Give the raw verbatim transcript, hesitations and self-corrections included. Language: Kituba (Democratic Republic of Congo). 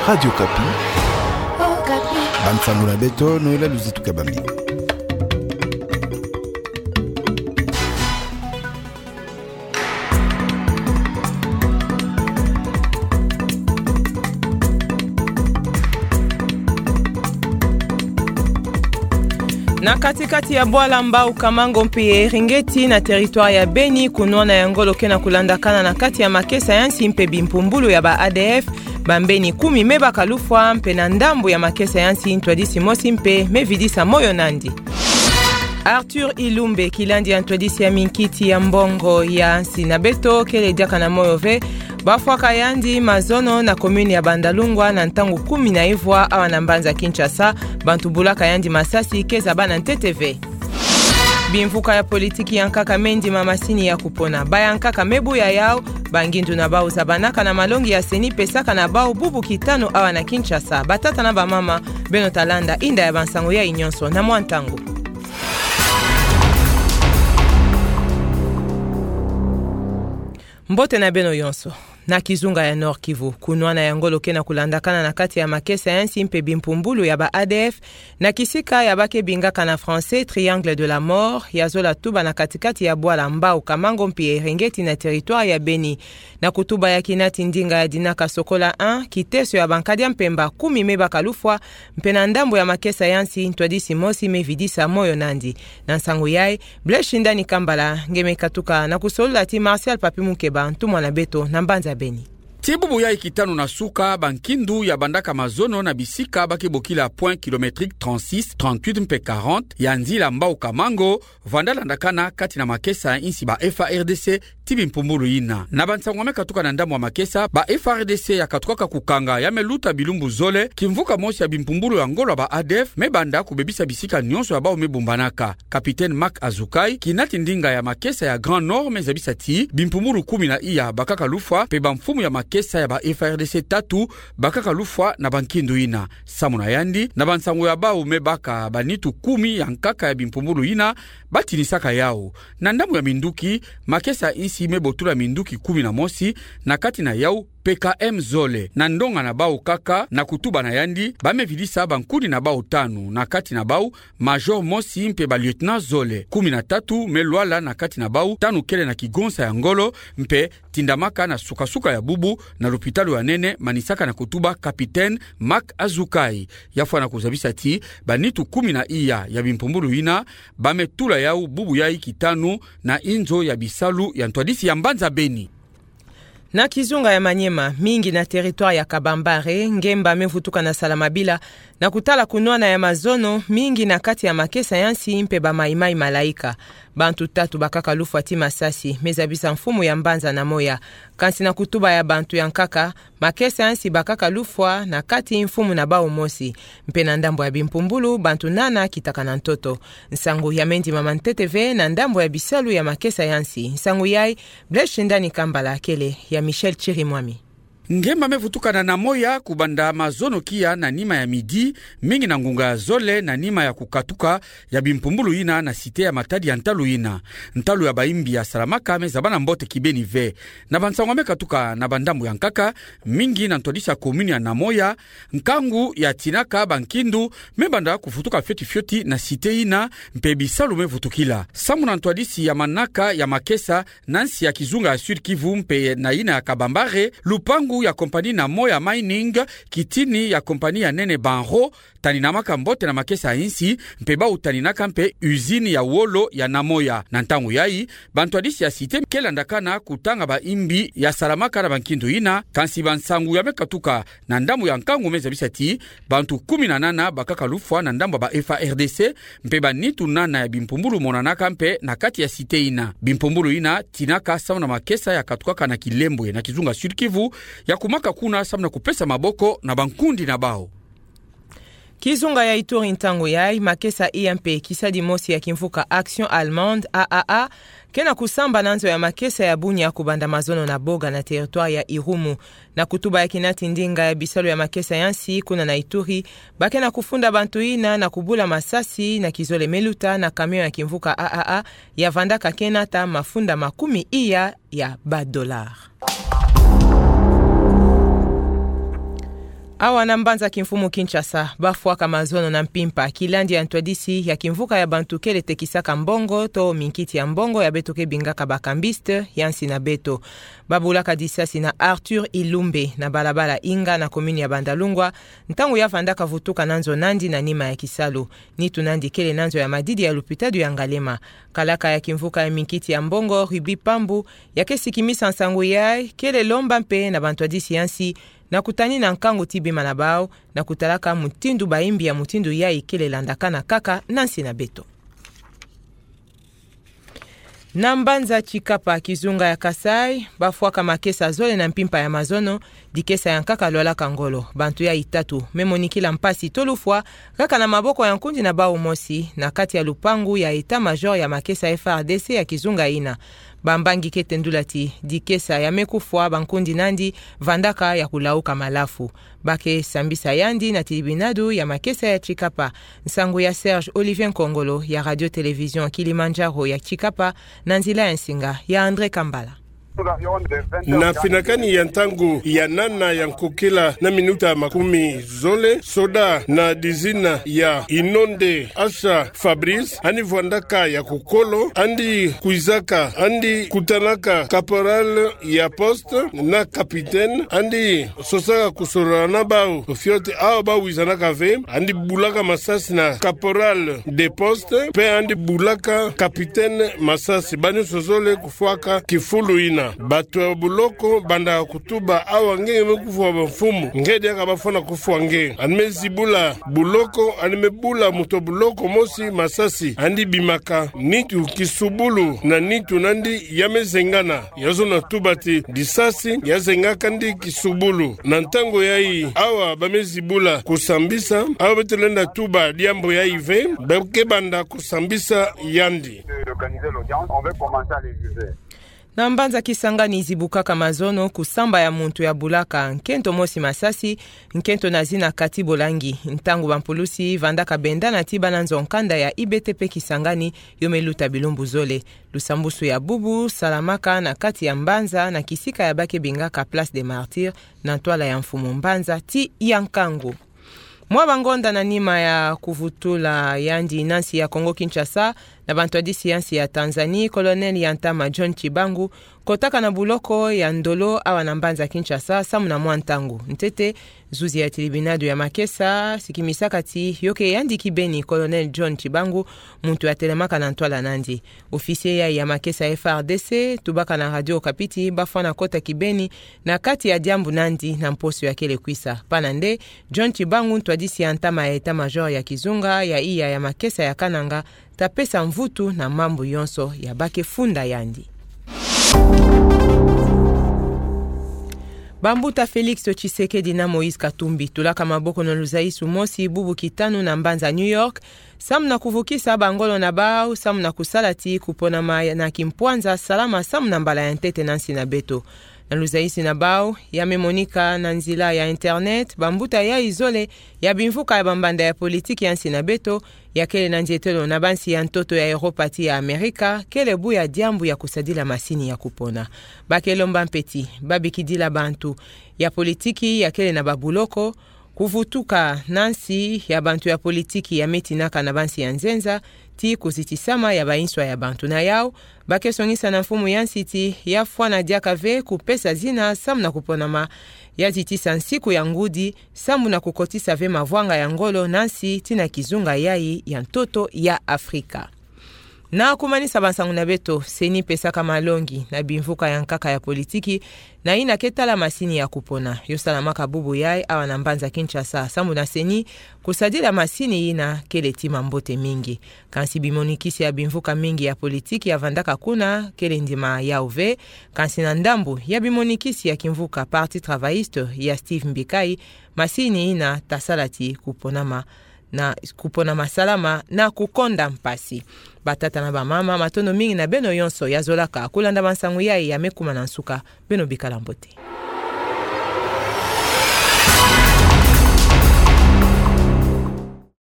Radio Okapi. Okapi. Bansango na beto, Noëlla Luzitu Kabambi. Na kati-kati ya bwala Mbau Kamango mpe ya Eringeti na territoire ya Beni, kunwana ya ngolo ke na kulandakana na kati ya makesa ya nsi mpe bimpumbulu ya ba A D F, bambeni kumi me baka lufwa, mpe na ndambu ya makesa ya nsi ntwadisi mosi mpe me vidisa moyo nandi. Arthur Ilumbe, kilandi ya ntwadisi ya minkiti ya mbongo ya nsi na beto, kele diaka na moyo ve, bafwaka yandi mazono na commune ya Bandalungwa na ntangu kumi na ivwa awa na mbanza Kinshasa, bantu bulaka yandi masasi ke zabana ntete ve. Bimvuka ya politiki ya nkaka me ndima masini ya kupona. Ba ya nkaka me buya yau, bangindu na bau zabanaka na malongi ya CENI pesaka na bau bubu kitanu awa na Kinshasa. Batata na bamama, beno ta landa inda ya bansango yai nyonso na mwa ntangu. Mbote na beno yonso. Na kizunga ya Nord-Kivu, kunwana ya ngolo ke na kulandakana na kati ya makesa ya nsi mpe bimpumbulu ya ba A D F, na kisika ya ba ke bingaka na français Triangle de la Mort, ya zola tuba na kati-kati ya bwala Mbau Kamango mpe ya Eringeti na territoire ya Beni. Na kutuba ya kinati ndinga ya dinaka Sokola un, kiteso ya bankadi ya mpemba kumi me baka lufwa, mpe na ndambu ya makesa ya nsi ntwadisi mosi me vidisa moyo nandi. Na nsangu yai, Blaise Shindani Kambala nge me katuka na kusolula ti Martial Papi Mukeba, ntumwa na beto na mbanza Beni. Ti bubu yai kitanu na suka, bankindu ya bandaka mazono na bisika ba ke bokila point kilométrique trente-six, trente-huit mpe quarante ya nzila Mbau Kamango, vanda landakana kati na makesa ya nsi ba F A R D C ti bimpumbulu yina. Na bansangu me katuka na ndambu ya makesa, ba F A R D C ya katukaka kukanga ya me luta bilumbu zole, kimvuka mosi ya bimpumbulu ya ngolo ya ba A D F me banda kubebisa bisika nyonso ya bau me bumbanaka. Capitaine Marc Azukai, kinati ndinga ya makesa ya Grand Nord, me zabisa ti bimpumbulu kumi na iya bakaka lufwa, mpe bamfumu ya makesa ya ba F A R D C tatu bakaka lufwa na bankindu yina. Samu na yandi, na bansangu ya bau me baka, banitu kumi ya nkaka ya bimpumbulu yina batinisaka yau. Na ndambu ya minduki, makesa ya nsi me botula minduki kumi na mosi, na kati na yau P K M zole. Na ndonga na bau kaka, na kutuba na yandi, ba me vidisa bankuni na bau tanu, na kati na bau major mosi mpe ba lieutenant zole. Kumi na tatu me lwala, na kati na bau tanu kele na kigonsa ya ngolo, mpe tindamaka na suka-suka ya bubu na lupitalu ya nene, manisaka na kutuba capitaine Marc Azukai. Ya fwana kuzabisa ti banitu kumi na iya ya bimpumbulu yina ba me tula yau bubu yai kitanu na inzo ya bisalu ya ntwadisi ya mbanza Beni. Na kizunga ya Maniema, mingi na territoire ya Kabambare, ngemba me vutuka na sala mabila, na kutala kunwana ya mazono, mingi na kati ya makesa ya nsi mpe ba Mai-Mai Malaika. Bantu tatu bakaka lufwa ti masasi, me zabisa mfumu ya mbanza na moya. Kansi na kutuba ya bantu ya nkaka, makesa ya nsi bakaka lufwa na kati, mfumu na bau mosi. Mpe na ndambu ya bimpumbulu, bantu nana kitaka na ntoto. Nsangu ya me ndimama ntete ve na ndambu ya bisalu ya makesa ya nsi. Nsangu yai, Blaise Shindani Kambala, kele ya Michel Chirimwami. Ngemba me vutuka na Namoya kubanda mazono kia na nima ya midi, mingi na ngunga ya zole na nima ya kukatuka ya bimpumbulu yina na cité ya Matadi ya ntalu yina. Ntalu ya baimbi ya salamaka me zabana mbote kibeni ve. Na bansangu me katuka na bandambu ya nkaka, mingi na ntwadisi ya commune ya Namoya, nkangu ya tinaka bankindu me banda kuvutuka fioti-fioti na cité yina, mpe bisalu me vutukila. Samu na ntwadisi ya manaka ya makesa na nsi ya kizunga ya Sud-Kivu mpe na yina ya Kabambare, lupangu ya compagnie Namoya Mining, kitini ya compagnie ya nene Banro, taninamaka mbote na makesa ya nsi, mpe bau taninaka mpe usine ya wolo ya Namoya. Na ntangu yai, bantwadisi ya cité ke landakana kutanga baimbi ya salamaka na bankindu yina, kansi bansangu ya me katuka na ndambu ya nkangu me zabisa ti bantu kumi na nana bakaka lufwa na ndambu ya ba F A R D C, mpe banitu nana ya bimpumbulu monanaka mpe na kati ya cité yina. Bimpumbulu yina tinaka samu na makesa ya katukaka na Kilembwe na kizunga Sud-Kivu, ya kumaka kuna samu na kupesa maboko na bankundi na bau. Kizunga ya Ituri, ntangu yai, makesa iya mpe kisadi mosi ya kimvuka Action Allemande, A A A, ke na kusamba na nzo ya makesa ya Bunia kubanda mazono na Boga na territoire ya Irumu. Na kutuba ya kinati ndinga ya bisalu ya makesa ya nsi kuna na Ituri, ba ke na kufunda bantu yina na kubula masasi na kizole me luta na camion ya kimvuka A A A, ya vandaka ke nata mafunda makumi iya ya ba dollars. Awa na mbanza kimfumu Kinshasa, bafwaka mazono na mpimpa, kilandi ya ntwadisi ya kimvuka ya bantu kele tekisaka mbongo, to minkiti ya mbongo ya beto ke bingaka ba cambistes, ya nsi na beto. Babulaka disasi na Arthur Ilumbe, na balabala Inga na commune ya Bandalungwa, ntangu ya vandaka vutuka na nzo nandi na nima ya kisalu. Nitu nandi kele na nzo ya madidi ya lupitadu ya Ngaliema. Kalaka ya kimvuka ya minkiti ya mbongo, Ruby Pambu, ya ke sikimisa nsangu yayi, kele lomba mpe na bantwadisi ya nsi, na kutanina nkangu ti bima na bau, na kutalaka mutindu bayimbi ya mutindu yayi kele landakana kaka na nsi na beto. Na mbanza Tshikapa, kizunga ya Kasaï, bafwaka makesa zole na mpimpa ya mazono, dikesa ya nkaka lwalaka ngolo. Bantu yayi tatu me monikila mpasi to lufwa, kaka na maboko ya nkundi na bau mosi, na kati ya lupangu ya état-major ya makesa F R D C ya kizunga yina. Bambangi ke tendula ti dikesa ya me kufwa bankundi nandi vandaka ya kulauka malafu. Ba ke sambisa yandi na tilibinadu ya makesa ya Tshikapa. Nsangu ya Serge Olivier Nkongolo ya Radio Télévision Kilimandjaro ya Tshikapa, na nzila ya nsinga ya André Kambala. Na finakani ya ntangu ya nana ya nkokila na minuta makumi zole, soda na dizina ya Inonde Asha Fabrice, andi vwandaka ya kukolo, andi kwizaka, andi kutanaka caporal ya poste na capitaine, andi sosaka kusolana bau fioti awa bawizanaka ve, andi bulaka masasi na caporal de poste, mpe andi bulaka capitaine masasi. Banyonso zole kufwaka kifulu yina. Bato ya buloko banda kutuba: awa nge nge me kufwa bamfumu, nge diaka bafwana kufwa nge? Andi me zibula buloko, andi me bula moto buloko mosi masasi, andi bimaka nitu kisubulu na nitu nandi ya me zengana. Ya zona tuba ti disasi ya zengaka ndi kisubulu. Na ntangu yayi, awa ba me zibula kusambisa, awa beto lenda tuba diambu yayi ve, ba ke banda kusambisa yandi. Na mbanza Kisangani, zibukaka mazono kusamba ya muntu ya bulaka nkento mosi masasi, nkento na zina Kati Bolangi, ntangu bampulusi vandaka bendana ti bana nzo nkanda ya I B T P Kisangani, yo me luta bilumbu zole. Lusambusu ya bubu salamaka na kati ya mbanza, na kisika ya ba ke bingaka Place des Martyrs, na ntwala ya mfumu mbanza ti ya nkangu. Mwa bangonda na nima ya kuvutula yandi na nsi ya Congo Kinshasa, na bantwadisi ya nsi ya Tanzanie, Colonel ya ntama John Tshibangu kotaka na buloko ya ndolo awa na mbanza Kinshasa, samu na mwa ntangu. Ntete, zuzi ya tilibinadu ya makesa sikimisaka ti yo ke yandi kibeni Colonel John Tshibangu, muntu ya telemaka na ntwala nandi. Officier yayi ya makesa F R D C tubaka na Radio Okapi ti bafwana kota kibeni na kati ya diambu nandi na mposo ya kele kwisa. Pana nde, John Tshibangu, ntwadisi ya ntama ya état-major ya kizunga ya iya ya makesa ya Kananga, ta pesa mvutu na mambu yonso ya ba ke funda yandi. Bambuta Félix Tshisekedi na Moïse Katumbi tulaka maboko na luzayisu mosi bubu kitanu na mbanza New York, samu na kuvukisa bangolo na bau, samu na kusala ti kuponama na kimpwanza salama samu na mbala ya ntete na nsi na beto. Na luzayisu na bau, ya me monika na nzila ya internet, bambuta yayi zole ya bimvuka ya bambanda ya politiki ya nsi na beto, ya kele na ndietelo na bansi ya ntoto ya Europa ti ya Amerika, kele buya diambu ya kusadila masini ya kupona. Ba ke lomba mpe ti babikidila bantu ya politiki ya kele na babuloko, kuvutuka na nsi ya bantu ya politiki ya me tinaka na bansi ya nzenza, ti kuzitisama ya bainswa ya bantu. Na yau, ba ke songisa na mfumu ya nsi ti ya fwana diaka ve kupesa zina samu na kuponama, ya zitisa nsiku ya ngudi, samu na kukotisa ve mavwanga ya ngolo na nsi ti na kizunga yayi ya ntoto ya Afrika. Na kumanisa bansangu na beto, CENI pesaka malongi na bimvuka ya nkaka ya politiki na yina ke tala masini ya kupona. Yo salamaka bubu yayi awa na mbanza Kinshasa, samu na CENI kusadila masini yina kele ti mambote mingi. Kansi bimonikisi ya bimvuka mingi ya politiki ya vandaka kuna kele ndima yau ve. Kansi na ndambu ya bimonikisi ya kimvuka Parti Travailliste ya Steve Mbikayi, masini yina ta sala ti kuponama na kuponama salama na kukonda mpasi. Batata na bamama, matondo mingi na beno yonso ya zolaka kulanda bansangu yayi ya me kuma na nsuka. Beno bikala mbote.